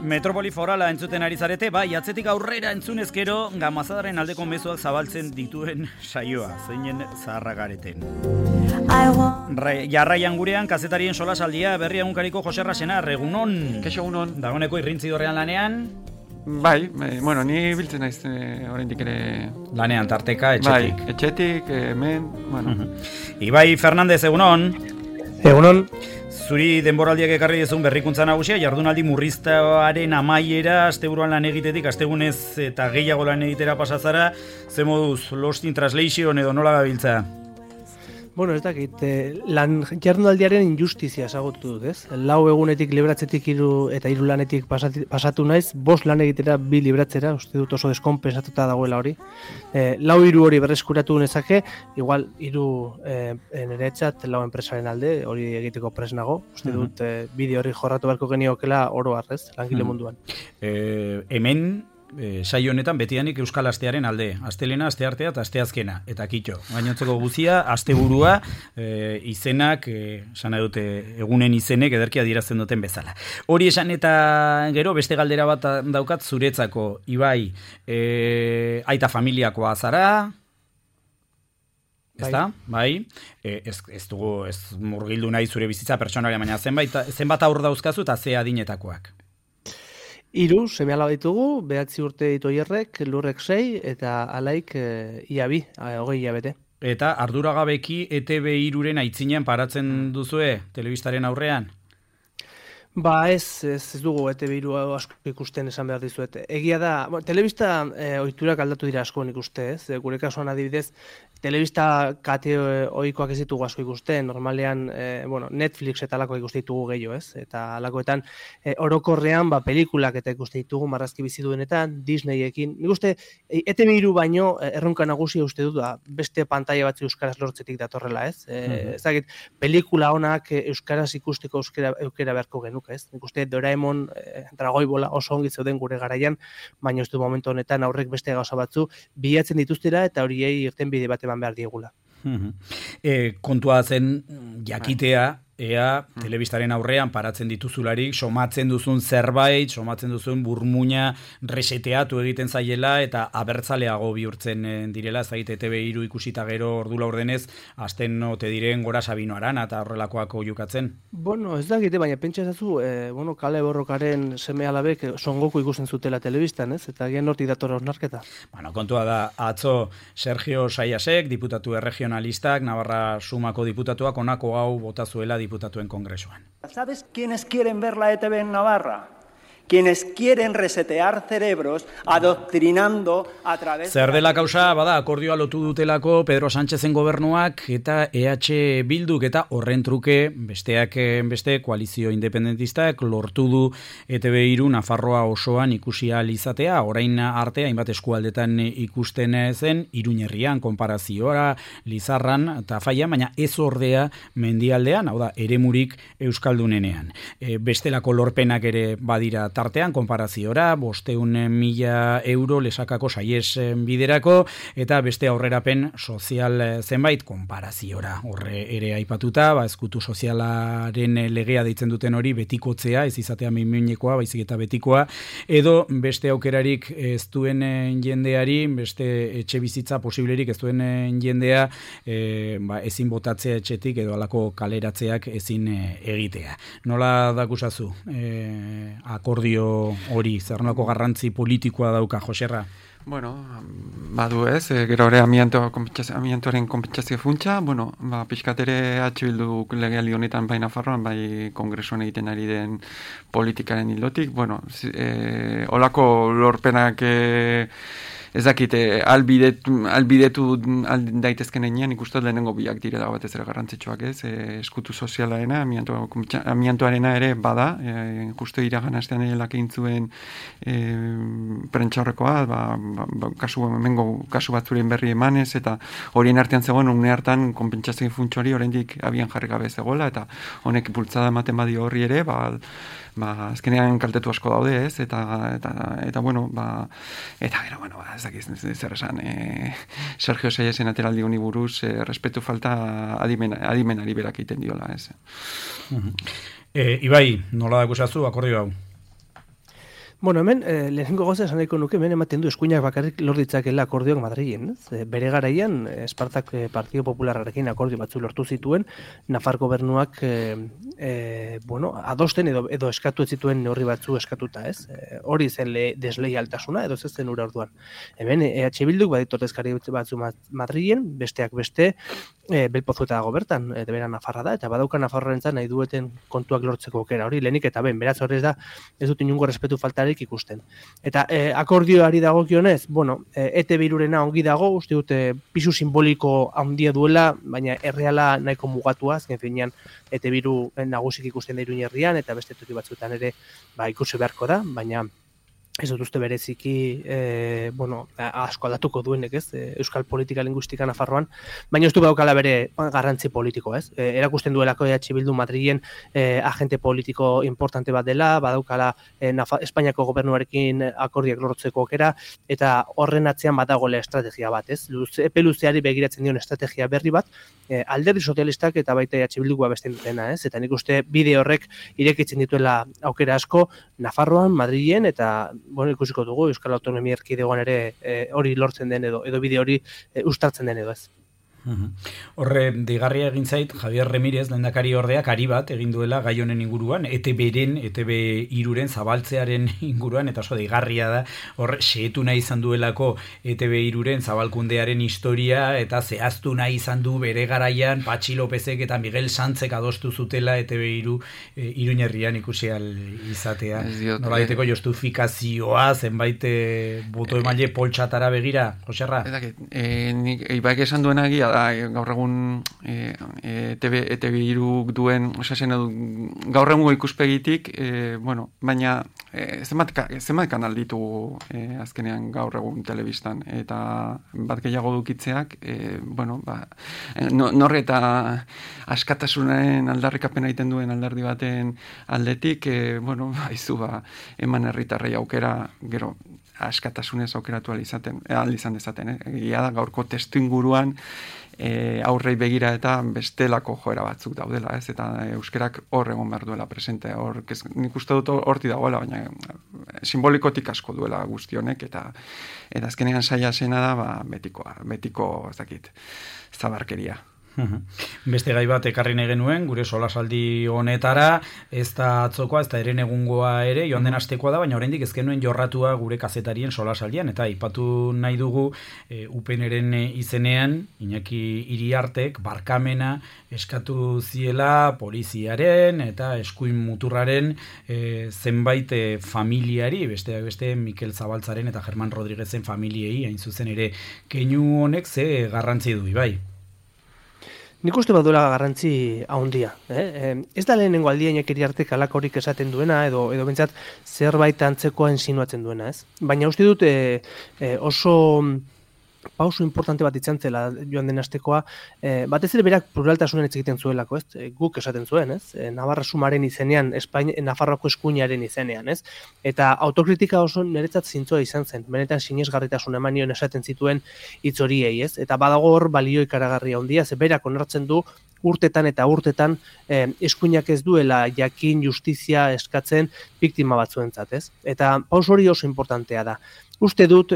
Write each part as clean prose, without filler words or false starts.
Metropoli forala entzuten ari zarete, bai, atzetik aurrera entzunezkero gamazadaren aldeko mezuak zabaltzen dituen saioa, zeinen zaharragareten. Jarraian gurean, kazetarien solasaldia, berri egunkariko Jose Rasena, egunon. Keixo egunon. Dagoeneko irrintzidorrean lanean. Bai, bueno, ni biltzen naiz oraindik ere... Lanean, tarteka, etxetik. Bai, etxetik, hemen, bueno. Ibai Fernandez, egunon. Egunon. Zuri denboraldiak ekarri dezun berrikuntza nagusia, jardunaldi murriztaren amaiera, asteburuan lan egitetik, astegunez eta gehiago lan egitera pasazara, ze moduz, Lost in Translation edo nola gabiltza? Bueno, ez dakit, jardunaldiaren injustizia ezagutu dut, ez? 4 egunetik libratzetik eta 3 lanetik pasatu naiz, 5 lan egitera 2 libratzera, uste dut oso deskompensatuta dagoela hori. 4-3 hori berreskuratu nezake, igual 3 niretzat 4 enpresaren alde, hori egiteko pres nago, uste dut bideo hori jorratu beharko geniokela oro harrez, langile munduan. Hemen, saio honetan betidanik Euskal Astearen alde, astelena, asteartea eta asteazkena, eta kitxo. Gainontzeko guzia, asteburua, izenak, sana dute egunen izenek ederki adierazten duten bezala. Hori esan eta gero beste galdera bat daukat zuretzako, Ibai, aita familiakoa zara, ezta? Bai. Ez murgildu nahi zure bizitza pertsonaria, baina zenbat aur dauzkazu eta ze adinetakoak? 3 seme-alaba ditugu, 9 urte ditu Oierrek, Lurrek 6 eta Alaik ia 2, 20 hilabete. Eta arduragabeki ETB 3-ren aitzinean paratzen duzue telebistaren aurrean? Ba ez dugu ETB 3 asko ikusten esan behar dizuet. Egia da, telebista ohiturak aldatu dira asko nik uste, ez? Gure kasuan adibidez, telebista kate ohikoak ez ditugu asko ikusten, normalean Netflix eta alakoak ikuste ditugu gehiago, ez? Eta alakoetan orokorrean pelikulak eta ikuste ditugu marrazki bizi duenetan, Disneyekin. Nik uste ETB 3 baino erronka nagusia uste dut beste pantaila batzu euskaraz lortzetik datorrela, ez? Ez dakit, pelikula onak euskaraz ikusteko aukera beharko genuke, ez? Nik uste Doraemon, Dragoi Bola oso ongi zeuden gure garaian, baina ez du momentu honetan aurrek beste gauza batzu bilatzen dituztera eta horiei irtenbide bat eman behar diegula. Kontua zen jakitea, ea telebistaren aurrean paratzen dituzularik, somatzen duzun zerbait, somatzen duzun burmuina reseteatu egiten zaiela eta abertzaleago bihurtzen direla, ez dakit ETB 3 ikusita gero ordu laurdenez, azten ote diren Gora Sabino Arana eta horrelakoak oiukatzen. Bueno, ez dakite, baina pentsa ezazu, Kale Borrokaren seme-alabek Son Goku ikusten zutela telebistan, ez? Eta gian hortik dator osnarketa. Bueno, kontua da, atzo Sergio Saiasek, diputatu erregionalistak, Navarra Sumako diputatuak onako hau bota zuela diputatuen kongresuan. ¿Sabes quiénes quieren ver la ETV en Navarra? Quienes quieren resetear cerebros adoctrinando a través... Zer dela kausa, bada, akordioa lotu dutelako Pedro Sánchezen gobernuak eta EH Bilduk eta horren truke besteak beste koalizio independentistak lortu du ETB 3 Nafarroa osoan ikusi ahal izatea, orain arte hainbat eskualdetan ikusten zen, Iruñerrian, konparaziora, Lizarran eta Faian, baina ez ordea mendialdean, hau da, eremurik euskaldunenean. Bestelako lorpenak ere badira tartean, konparaziora, 500.000 euro lesakako saies biderako, eta beste aurrerapen sozial zenbait konparaziora. Horre ere aipatuta, ezkutu sozialaren legea deitzen duten hori betikotzea, ez izatea minekoa, baizik eta betikoa, edo beste aukerarik ez duen jendeari, beste etxe bizitza posiblerik ez duen jendea, ezin botatzea etxetik edo alako kaleratzeak ezin egitea. Nola dakusazu akordio hori, zernako garrantzi politikoa dauka, Joserra? Bueno, badu ez, gero ere amiantoaren konpentsazio funtsa, pixkat ere Bildu legealdi honetan bai Nafarroan, bai kongresuan egiten ari den politikaren ildotik, olako lorpenak ez dakit, albidetu daitezken enean, ikusten lehenengo biak direla batez ere garrantzitsuak, ez? Eskutu sozialaena, amiantoarena ere bada, justu iragan astean ere lakein zuen prentxaurrekoa, kasu batzuren berri emanez, eta horien artean zegoen, une hartan konpentsazio funtsori oraindik abian jarri gabe zegoela, eta honek bultzada ematen badio horri ere, azkenean kaltetu asko daude, ez? Eta gero, ez dakiz zer esan, Sergio Saiasen ateraldi honi buruz, respetu falta adimenari berak egiten diola, ez? Ibai, nola dakusazu akordio hau? Bueno, hemen, lehenengo gauza esan nahiko nuke, hemen ematen du eskuinak bakarrik lor ditzakela akordioak Madrilen. Bere garaian, Espartak Partido Popularrarekin akordio batzu lortu zituen, Nafar gobernuak adosten edo eskatu ez zituen neurri batzu eskatuta, ez? Hori zen desleialtasuna, edo ez zen ura orduan. Hemen, EH Bilduk baditu ordezkari batzu Madrilen, besteak beste, Belpozueta dago bertan, bera Nafarra da, eta badauka Nafarroarentzat nahi dueten kontuak lortzeko aukera hori, lehenik eta beraz hori ez dut inungo respetu faltarik ikusten. Eta akordioari dagokionez, ETB-rena ongi dago, uste dute pisu simboliko handia duela, baina erreala nahiko mugatua, azken finean ETB nagusik ikusten da Iruña herrian, eta beste toki batzuetan ere ikusi beharko da, baina ez dut uste bereziki, asko aldatuko duenek, ez, euskal politika linguistika Nafarroan, baina ez du daukala bere garrantzi politiko, ez. Erakusten duelako EH Bildu Madrilen agente politiko importante bat dela, badaukala Espainiako gobernuarekin akordiak lortzeko aukera, eta horren atzean badagoela estrategia bat, ez. Epe luzeari begiratzen dion estrategia berri bat, alderdi sozialistak eta baita EH Bildukoa besten dutena, ez. Eta nik uste bide horrek irekitzen dituela aukera asko Nafarroan, Madrilen, eta ikusiko dugu Euskal Autonomia Erkidegoan ere hori lortzen den edo bide hori uztartzen den edo ez. Horre, deigarria egin zait, Javier Remirez, lehendakari ordeak, ari bat egin duela gai honen inguruan, ETB-iruren zabaltzearen inguruan, eta oso deigarria da, horre, xehetu nahi izan duelako ETB-iruren zabalkundearen historia, eta zehaztu nahi izan du bere garaian, Patxi Lopezek eta Miguel Santzek adostu zutela ETB-iru Iruñerrian ikusi al izatea. Nolaiteko justifikazioa, zenbait boto emaile poltsatara begira, Joserra? Nik ibaik esan duena egia gaur egun ETB-iruk duen, gaur egungo ikuspegitik, baina zenbat kanal ditugu azkenean gaur egun telebistan, eta bat gehiago dukitzeak, norre eta askatasunaren aldarrikapena egiten duen alderdi baten aldetik, eman herritarrei aukera, gero, askatasunez aukeratu izan dezaten. Egia da gaurko testu inguruan aurrei begira eta bestelako joera batzuk daudela, ez? Eta euskerak hor egon behar duela presente. Nik uste dut horti dagoela, baina simbolikotik asko duela guzti honek, eta azkenean saia zena da, betiko ez dakit, zabarkeria. Beste gai bat ekarri nahi genuen, gure solasaldi honetara, ez da atzokoa, ez da eren egungoa ere, joan den astekoa da, baina oraindik ez genuen jorratua gure kazetarien solasaldian, eta aipatu nahi dugu UPNren izenean, Iñaki Iriartek, barkamena eskatu ziela poliziaren eta eskuin muturraren zenbait familiari, besteak beste Mikel Zabaltzaren eta Germán Rodríguezen familiei, hain zuzen ere, keinu honek ze garrantzi du, bai? Nik uste baduela garrantzi handia. Ez da lehenengo aldia Iñaki Iriartek halakorik esaten duena, edo bentsat zerbait antzekoa insinuatzen duena, ez? Baina uste dut oso pauso importante bat izan zela joan den astekoa, batez ere berak pluraltasunen hitz egiten zuelako, ez? Guk esaten zuen, ez? Navarra sumaren izenean, Nafarroako eskuinaren izenean, ez? Eta autokritika oso niretzat zintzoa izan zen, benetan sinesgarritasun eman nion esaten zituen hitz horiei, ez? Eta badago hor balio ikaragarria handia, ze berak onartzen du urtetan eta urtetan eskuinak ez duela jakin justizia eskatzen biktima batzuentzat, ez? Eta pauso hori oso importantea da. Uste dut,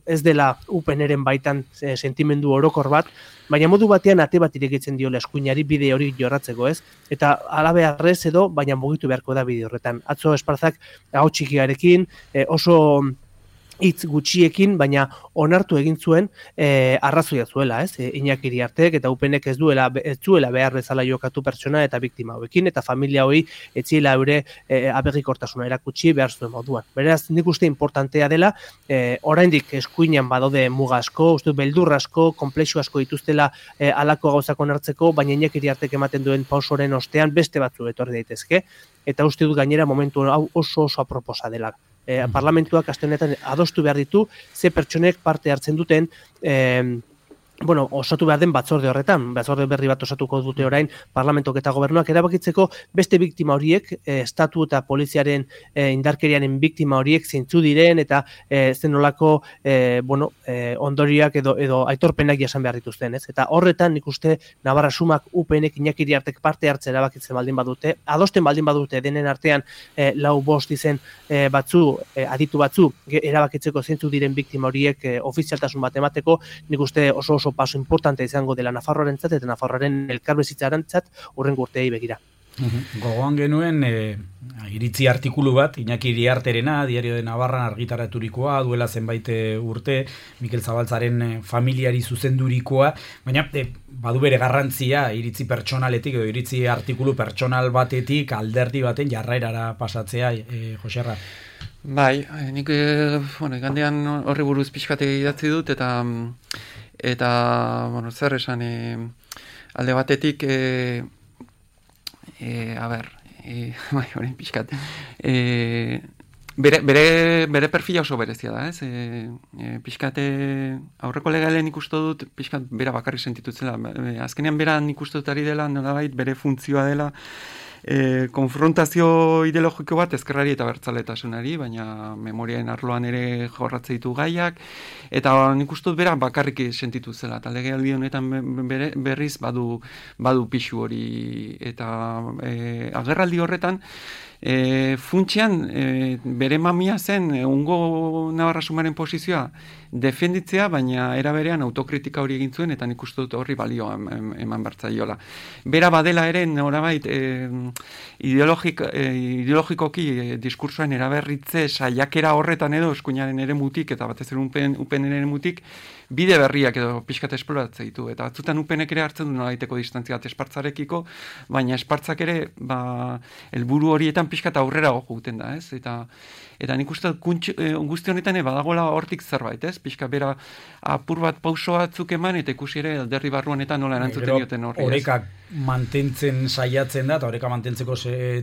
ez dela UPNren baitan sentimendu orokor bat, baina modu batean ate bat irekitzen diola eskuinari bide hori jorratzeko, ez? Eta alabearrez edo, baina mugitu beharko da bide horretan. Atzo Esparzak hau txikiarekin, oso hitz gutxiekin, baina onartu egin zuen arrazoia zuela, ez? Iñaki Iriartek eta UPNek ez zuela behar bezala jokatu pertsona eta biktima hauekin, eta familia hori etziela eure abegikortasuna erakutsi behar zuen moduan. Beraz, nik uste importantea dela, oraindik eskuinan badaude muga asko, uste beldur asko, komplexu asko dituztela halako gauzak onartzeko, baina Iñaki Iriartek ematen duen pausoren ostean beste batzu etorri daitezke, eta uste dut gainera momentu hau oso aproposa dela. Parlamentuak aste honetan adostu behar ditu, ze pertsonek parte hartzen duten osatu behar den batzorde horretan, batzorde berri bat osatuko dute orain parlamentok eta gobernuak erabakitzeko beste biktima horiek, estatu eta poliziaren indarkeriaren biktima horiek zeintzu diren eta zenolako ondorioak edo aitorpenak jasan behar dituzten, ez? Eta horretan nik uste Navarra Sumak UPNek Iñaki Iriartek parte hartzen erabakitzen baldin badute, adosten baldin badute denen artean 4-5 izen aditu batzu erabakitzeko zeintzu diren biktima horiek ofizialtasun bat emateko, nik uste oso paso importante izango dela Nafarroarentzat eta Nafarroaren elkarbizitzarentzat hurrengo urteei begira. Gogoan genuen iritzi artikulu bat, Iñaki Iriarterena, Diario de Navarran argitaraturikoa, duela zenbait urte, Mikel Zabaltzaren familiari zuzendurikoa, baina badu bere garrantzia iritzi pertsonaletik edo iritzi artikulu pertsonal batetik alderdi baten jarraerara pasatzea, Joserra. Bai, nik gandean horri buruz pixkate idatzi dut, eta zer esan, alde batetik, horrein pixkat, bere perfila oso berezia da, ez? Pixkate, aurreko legalen ikustu dut, pixkat bera bakarri sentitutzela. Azkenean bera ikustu dut ari dela, nolabait bere funtzioa dela, konfrontazio ideologiko bat ezkerrari eta bertzaletasunari, baina memoriaren arloan ere jorratze ditu gaiak, eta nik uste dut bera bakarrik sentitu zela, eta legealdi honetan berriz badu pixu hori, eta agerraldi horretan, funtsean bere mamia zen ungo Navarra Sumaren posizioa defenditzea, baina era berean autokritika hori egin zuen, eta nik uste dut horri balio eman bertzaiola. Bera badela ere norabait ideologikoki diskursoen eraberritze saiakera horretan edo eskuinaren ere mutik, eta batez ere UPN ere mutik, bide berriak edo pixkat esploratze ditu. Eta batzutan UPNek ere hartzen du nolabaiteko distantzia bat Espartzarekiko, baina Espartzak ere helburu horietan pixkat aurrera juten da, ez? Eta nik uste guzti honetan badagoela hortik zerbait, ez? Pixka bera apur bat pauso batzuk eman, eta ikusi ere alderdi barruan eta nola erantzuten dioten horri. Horekak mantentzen saiatzen da, eta horeka mantentzeko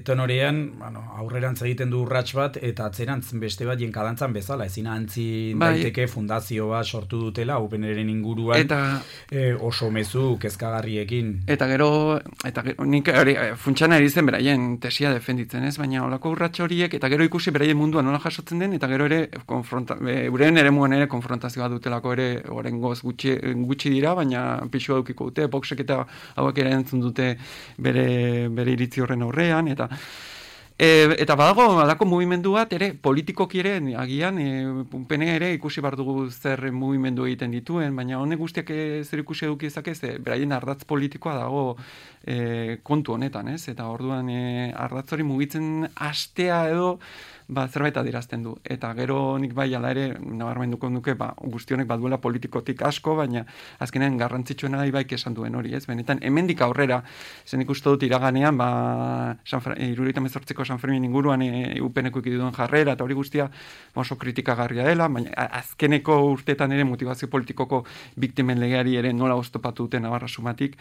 tenorean, aurrerantz egiten du urrats bat, eta atzerantz beste bat jenkadantzan bezala, ezin antzin daiteke fundazio bat sortu dutela, UPNren inguruan, oso mezu kezkagarriekin. Eta gero nik funtsana erizen beraien tesia defenditzen, ez? Baina holako urrats horiek, eta gero ikusi beraien mundua nola jasotzen den, eta gero ere euren ere muan ere konfrontazioa dutelako ere oraingoz gutxi dira, baina pixua dukiko dute, boxek eta hauek ere entzun dute bere iritzi horren aurrean, eta badago alako mugimendu bat ere politikoki ere agian UPN ere ikusi behar dugu zer mugimendu egiten dituen, baina honek guztiak zer ikusi eduki ezakez, beraien ardatz politikoa dago kontu honetan, ez? Eta orduan ardatz hori mugitzen hastea edo zerbait adierazten du. Eta gero nik bai ala ere nabarmenduko nuke guzti honek baduela politikotik asko, baina azkenean garrantzitsuena da ibaik esan duen hori, ez? Benetan hemendik aurrera, zen ikustu dut iraganean, 78ko San Fermin inguruan UPNeko ikiduen jarrera, eta hori guztia oso kritikagarria dela, baina azkeneko urteetan ere motivazio politikoko biktimen legeari ere nola oztopatu duten Navarra Sumatik,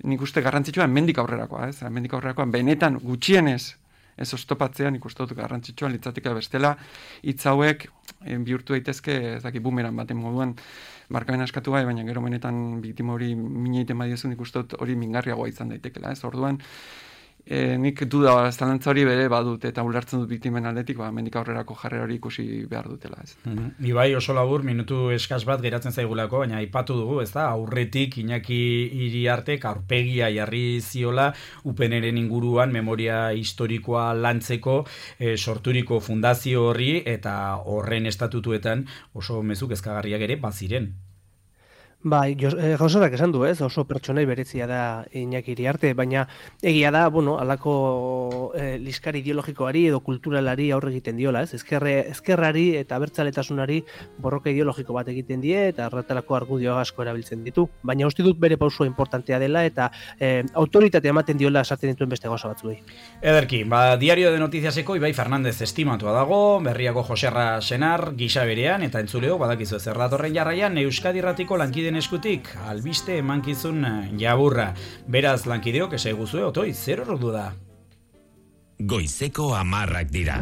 nik uste garrantzitsua hemendik aurrerakoa, ez? Hemendik aurrerakoa benetan gutxienez ez oztopatzean ikustu dut garrantzitsua litzatika bestela hitz hauek bihurtu daitezke bumeran baten moduan barkamen askatu bai, baina gero benetan biktima hori mina egiten badiezun ikustu dut hori mingarriagoa izan daitekela, ez? Orduan nik duda zalantza hori bere badut eta ulertzen dut biktimen aldetik, hemendik aurrerako jarrera hori ikusi behar dutela, ez? Ibai oso labur, minutu eskas bat geratzen zaigulako, baina aipatu dugu, ez da, aurretik Iñaki Iriartek aurpegia jarri ziola UPNren inguruan memoria historikoa lantzeko sorturiko fundazio horri eta horren estatutuetan oso mezu kezkagarriak ere baziren. Bai, Joserak esan du, ez? Oso pertsonai berezia da Iñaki Iriarte, baina egia da, alako liskari ideologikoari edo kulturalari aurre egiten diola, ez? Ezkerrari eta abertzaletasunari borroka ideologiko bat egiten die eta horretarako argudio asko erabiltzen ditu. Baina uste dut bere pausua importantea dela eta autoritatea ematen diola esaten dituen beste gauza batzuei. Ederki, Diario de Noticiaseko Ibai Fernandez estimatua dago, Berriako Joserra Senar gisa berean eta entzuleo badakizu zer datorren jarraian Euskadi Irratiko lankideen eskutik albiste emankizun jaburra. Beraz lankideok eseguzue otoi, zer ordu da? Goizeko 10 dira.